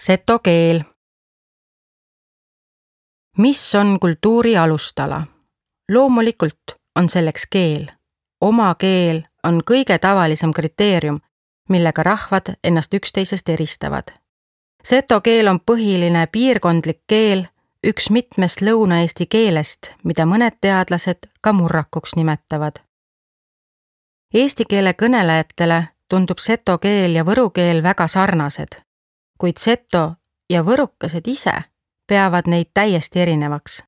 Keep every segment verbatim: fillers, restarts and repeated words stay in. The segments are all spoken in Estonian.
Seto keel. Mis on kultuuri alustala? Loomulikult on selleks keel. Oma keel on kõige tavalisem kriteerium, millega rahvad ennast üksteisest eristavad. Seto keel on põhiline piirkondlik keel, üks mitmest Lõuna-Eesti keelest, mida mõned teadlased ka murrakuks nimetavad. Eesti keele kõnelejatele tundub seto keel ja võru keel väga sarnased, kuid seto ja võrukesed ise peavad neid täiesti erinevaks.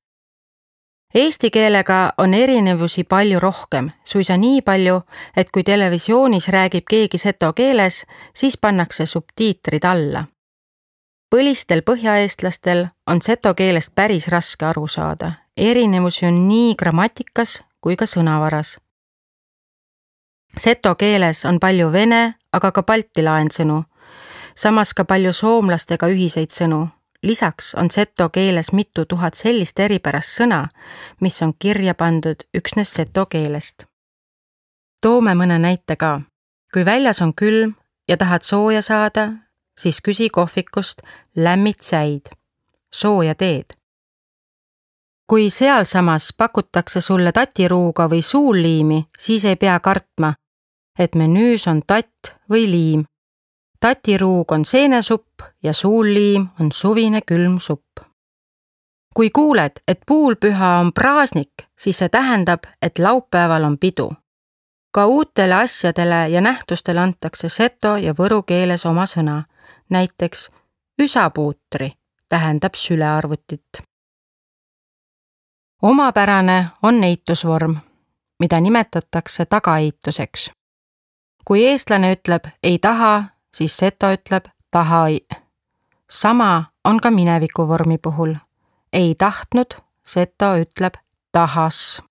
Eesti keelega on erinevusi palju rohkem, suisa nii palju, et kui televisioonis räägib keegi seto keeles, siis pannakse subtiitrid alla. Põlistel põhjaeestlastel on seto keelest päris raske aru saada. Erinevusi on nii grammatikas kui ka sõnavaras. Seto keeles on palju vene, aga ka balti laensõnu, samas ka palju soomlastega ühiseid sõnu. Lisaks on seto keeles mitu tuhat sellist eripärast sõna, mis on kirja pandud üksnes seto keelest. Toome mõne näite ka. Kui väljas on külm ja tahad sooja saada, siis küsi kohvikust lämmit säid, sooja teed. Kui sealsamas pakutakse sulle tatiruuga või suulliimi, siis ei pea kartma, et menüüs on tatt või liim. Tatiruug on seenesupp ja suulliim on suvine külm supp. Kui kuuled, et puulpüha on praasnik, siis see tähendab, et laupäeval on pidu. Ka uutele asjadele ja nähtustele antakse seto ja võru keeles oma sõna. Näiteks üsapuutri tähendab sülearvutit. Omapärane on eitusvorm, mida nimetatakse tagaeituseks. Kui eestlane ütleb ei taha, siis seto ütleb tahai. Sama on ka minevikuvormi puhul. Ei tahtnud, seto ütleb tahas.